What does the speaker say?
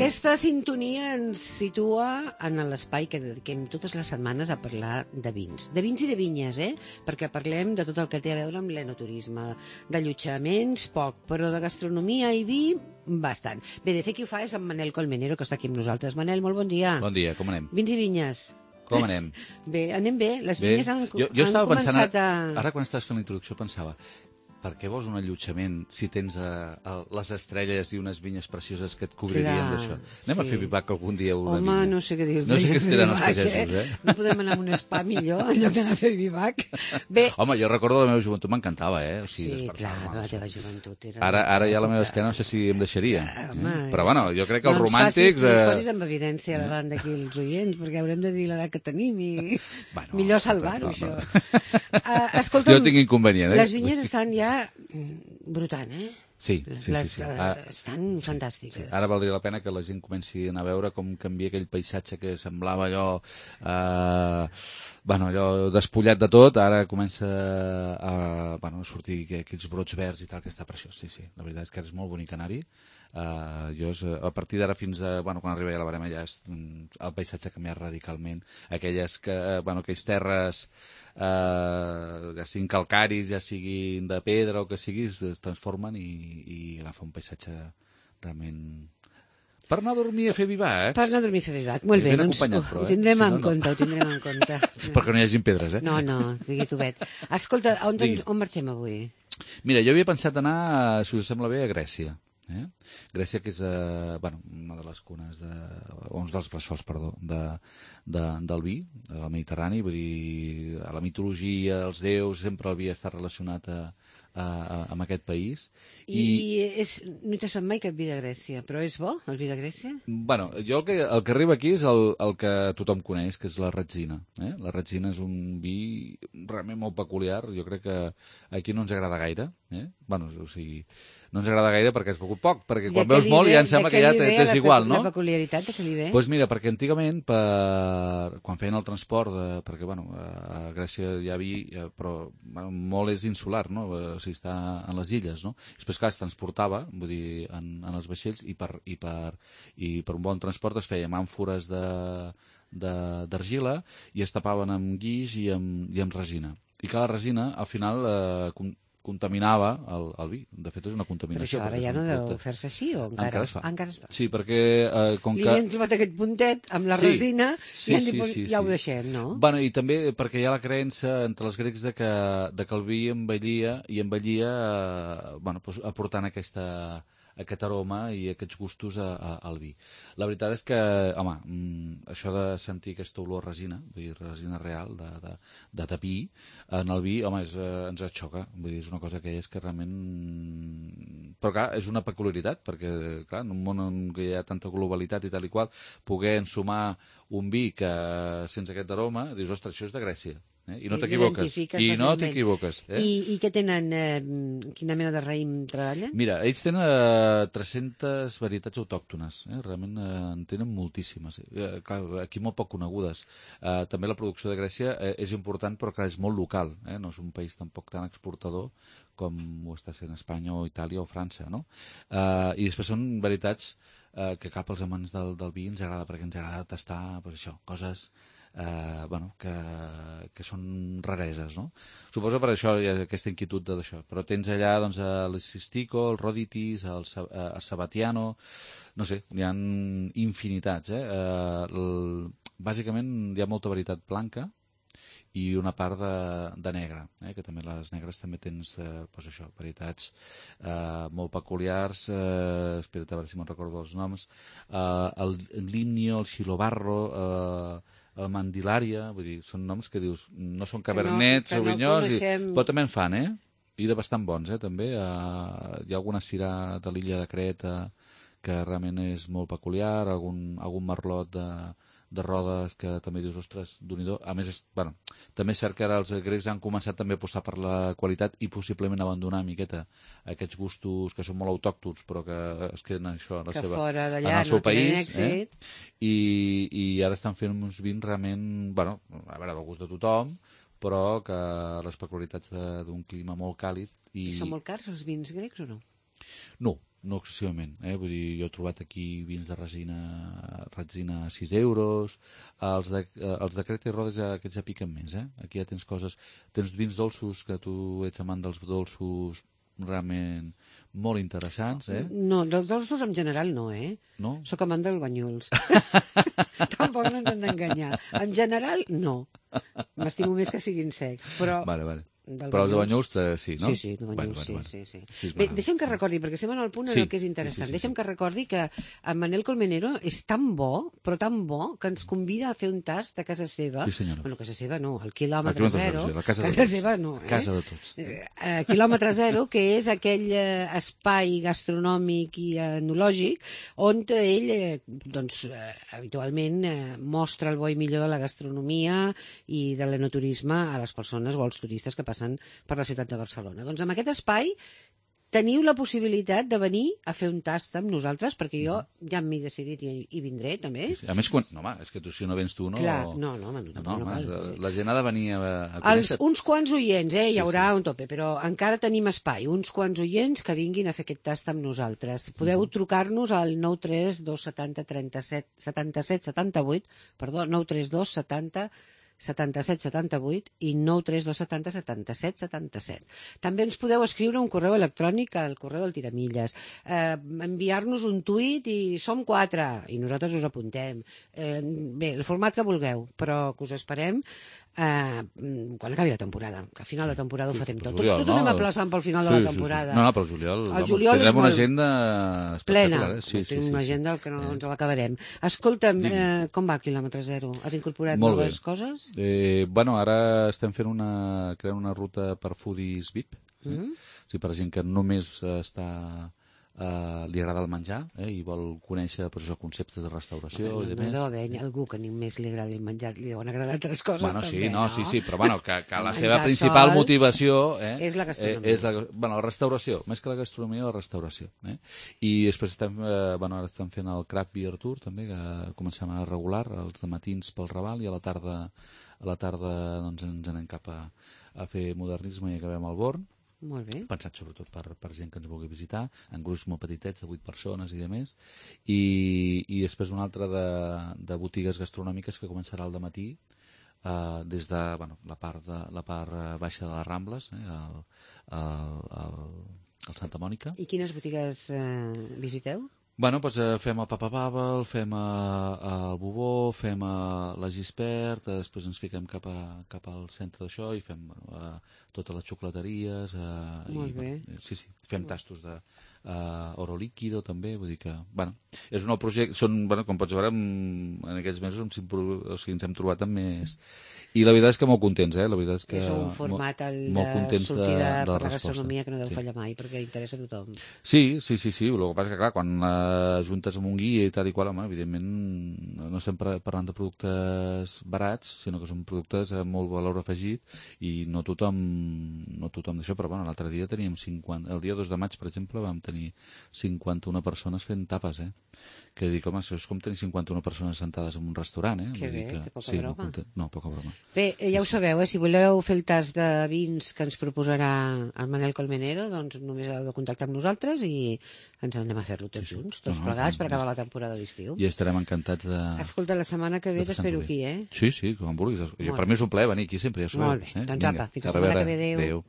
Aquesta sintonia ens situa en l'espai que dediquem totes les setmanes a parlar de vins. De vins i de vinyes, Perquè parlem de tot el que té a veure amb l'enoturisme. D'allotjaments, poc, però de gastronomia i vi, bastant. Bé, de fet, qui ho fa és en Manel Colmenero, que està aquí amb nosaltres. Manel, molt bon dia. Bon dia, com anem? Vins i vinyes. Com anem? Bé, anem bé. Les vinyes han estava començat pensant, ara quan estàs fent la introducció pensava, per què vols un allotjament si tens les estrelles i unes vinyes precioses que et cobririen d'això? Anem a fer vivac algun dia una vinya. Home, no sé què dir-te. No sé què estiran els pagesos, No podem anar a un spa millor en lloc d'anar a fer vivac? Bé. Home, jo recordo la meva joventut, m'encantava, O sigui, sí, clar, la teva joventut era... Ara ja la meva esquena no sé si em deixaria. Però bueno, jo crec que els romàntics... No ens posis en evidència davant d'aquí els oients, perquè haurem de dir l'edat que tenim i millor salvar-ho, això. Escolta'm, jo tinc inconvenient, les vinyes estan ja brotant, Sí. Estan fantàstiques. Ara valdria la pena que la gent comenci a anar a veure com canvia aquell paisatge que semblava allò despullat de tot, ara comença a sortir aquells brots verds i tal, que està preciós, sí. La veritat és que és molt bonic anar-hi. A partir d'ara fins a... quan arribi a la Barema ja el paisatge ha canviat radicalment. Aquells terres ja siguin calcaris, ja siguin de pedra o que sigui, es transformen i agafa un paisatge realment... Per anar a dormir a fer vivacs. Per anar a dormir a fer vivac, molt bé, doncs ho tindrem en compte, Perquè no hi hagin pedres, No, digui tu, Bet. Escolta, on marxem avui? Mira, jo havia pensat anar, si us sembla bé, a Grècia. Grècia, que és una de les cunes uns dels bressols, del vi, del Mediterrani, vull dir, a la mitologia, els déus, sempre el vi està relacionat amb aquest país. No t'ha sonat mai cap vi de Grècia, però és bo, el vi de Grècia? Bueno, jo el que arriba aquí és el que tothom coneix, que és la Retzina. La Retzina és un vi realment molt peculiar, jo crec que aquí no ens agrada gaire. O sigui, no ens agrada gaire perquè has begut poc, perquè quan veus molt ja em sembla que ja t'és igual, no? La peculiaritat de què li ve? Doncs mira, perquè antigament, quan feien el transport, perquè a Grècia hi ha vi, però molt és insular, no? O sigui, està en les illes, no? Després, clar, es transportava, vull dir, en els vaixells, i per un bon transport es feien àmfores d'argila i es tapaven amb guix i amb resina. I que la resina, al final, contaminava el vi. De fet, és una contaminació. Però això ara ja no deu fer-se així, o encara? Encara es fa. Sí, perquè... Li hem trobat aquest puntet amb la resina i ja ho deixem, no? Bueno, i també perquè hi ha la creença entre els grecs de que el vi envellia aportant aquest aroma i aquests gustos al vi. La veritat és que, home, això de sentir aquesta olor a resina, vull dir, resina real, de tapí, en el vi, home, ens xoca. Vull dir, és una cosa que és que realment... Però, clar, és una peculiaritat, perquè, clar, en un món en què hi ha tanta globalitat i tal i qual, poder ensumar un vi que sense aquest aroma, dius, ostres, això és de Grècia. I no t'equivoques. I què tenen? Quina mena de raïm treballen? Mira, ells tenen 300 varietats autòctones. Realment en tenen moltíssimes. Clar, aquí molt poc conegudes. També la producció de Grècia és important, però clar, és molt local. No és un país tampoc tan exportador com ho està sent Espanya o Itàlia o França, no? I després són varietats que cap als amants del vi ens agrada, perquè ens agrada tastar això, coses... que són rareses, no? Suposo per això hi ha aquesta inquietud d'això. Però tens allà doncs, el Sistico, el Roditis, el Sabatiano, no sé, hi ha infinitats. Bàsicament hi ha molta varietat blanca i una part de negre, que també les negres també tens varietats molt peculiars. Espera't a veure si me'n recordo els noms. El Limnio, el Xilobarro, el Mandilària, vull dir, són noms que dius, no són cabernets, sauvinyons, però també en fan, i de bastant bons, també. Hi ha alguna sirà de l'illa de Creta que realment és molt peculiar, algun merlot de rodes que també dius, ostres, Déu-n'hi-do. A més, també és cert que ara els grecs han començat també a apostar per la qualitat i possiblement abandonar una miqueta aquests gustos que són molt autòctons però que es queden això en el seu país. I ara estan fent uns vins realment, a veure, del gust de tothom, però que les peculiaritats d'un clima molt càlid. I són molt cars els vins grecs o no? No, no excessivament. Vull dir, jo he trobat aquí vins de resina a 6 euros, els de Creta i Rodes aquests ja piquen més. Aquí ja tens tens vins dolços, que tu ets amant dels dolços realment molt interessants. No, dels dolços en general no, No? Soc amant dels banyuls. Tampoc no ens hem d'enganyar. En general, no. M'estimo més que siguin secs, però... Vale. Però els de banyuls sí, no? Sí, de banyuls, sí. Sí, Bé, deixa'm que recordi, perquè estem en el punt en el que és interessant. Sí. Deixa'm que recordi que en Manel Colmenero és tan bo, però tan bo, que ens convida a fer un tast a casa seva. Sí, senyora. Bueno, casa seva no, al quilòmetre zero. La casa seva no, Casa de tots. Quilòmetre zero, que és aquell espai gastronòmic i enològic on ell, habitualment, mostra el bo i millor de la gastronomia i de l'enoturisme a les persones o als turistes que passen per la ciutat de Barcelona. Doncs en aquest espai teniu la possibilitat de venir a fer un tast amb nosaltres, perquè jo ja m'he decidit i vindré, també. Sí. A més, és que si no vens tu, no... Clar, no cal. La gent ha de venir a conèixer. Uns quants oients, hi haurà un tope, però encara tenim espai. Uns quants oients que vinguin a fer aquest tast amb nosaltres. Podeu trucar-nos al 932 70 37 77 78, perdó, 932 70 77 78 i 932 70 77 77. També ens podeu escriure un correu electrònic al correu del Tiramilles, enviar-nos un tuit i som 4 i nosaltres us apuntem. Bé, el format que vulgueu, però que us esperem quan acabi la temporada, que al final de temporada ho farem tot. Tot ho anem aplaçant pel final de la temporada. No, pel juliol. El juliol tindrem una agenda plena. Tenim una agenda que no ens l'acabarem. Escolta'm, com va quilòmetre zero? Has incorporat noves coses? Ara estem creant una ruta per foodies VIP, o sigui, per gent que només li agrada el menjar i vol conèixer conceptes de restauració i demés. No deu haver algú que només li agradi el menjar, li deuen agradar altres coses també, no? Sí, però que la seva principal motivació és la gastronomia. És la restauració, més que la gastronomia, la restauració. I després ara estem fent el Craft Beer Tour també, que comencem a regular els matins pel Raval i a la tarda doncs, ens anem cap a fer modernisme i acabem al Born. Molt bé. Pensat sobretot per gent que ens vulgui visitar, en grups molt petitets de 8 persones i de més, i després una altra de botigues gastronòmiques que començarà al dematí des de la part baixa de les Rambles, al Santa Mònica. I quines botigues visiteu? Fem el Papa Babel, fem el Bubó, fem la Gispert, després ens fiquem cap al centre d'això i fem totes les xocolateries. Molt bé. Sí, fem tastos d'oro líquido també, vull dir que, és un nou projecte, com pots veure, en aquests mesos ens hem trobat amb més... I la veritat és que molt contents, la veritat és que... És un format de sortida per la gastronomia que no deu fallar mai, perquè interessa a tothom. Sí, el que passa que, clar, quan juntes amb un guia i tal i qual, evidentment no estem parlant de productes barats, sinó que són productes amb molt valor afegit i no tothom d'això, però l'altre dia teníem 50... El dia 2 de maig, per exemple, vam tenir 51 persones fent tapes, que dic, això és com tenir 51 persones sentades en un restaurant, Que bé, que poca broma. No, poca broma. Bé, ja ho sabeu, si voleu fer el tast de vins que ens proposarà el Manel Colmenero, doncs només heu de contactar amb nosaltres i ens anem a fer-lo tots junts, tots plegats, per acabar la temporada d'estiu. I estarem encantats de... Escolta, la setmana que ve t'espero aquí, Sí, com vulguis. Per mi és un plaer venir aquí sempre, ja sabeu. Molt bé, doncs apa, fins la setmana que ve, adéu.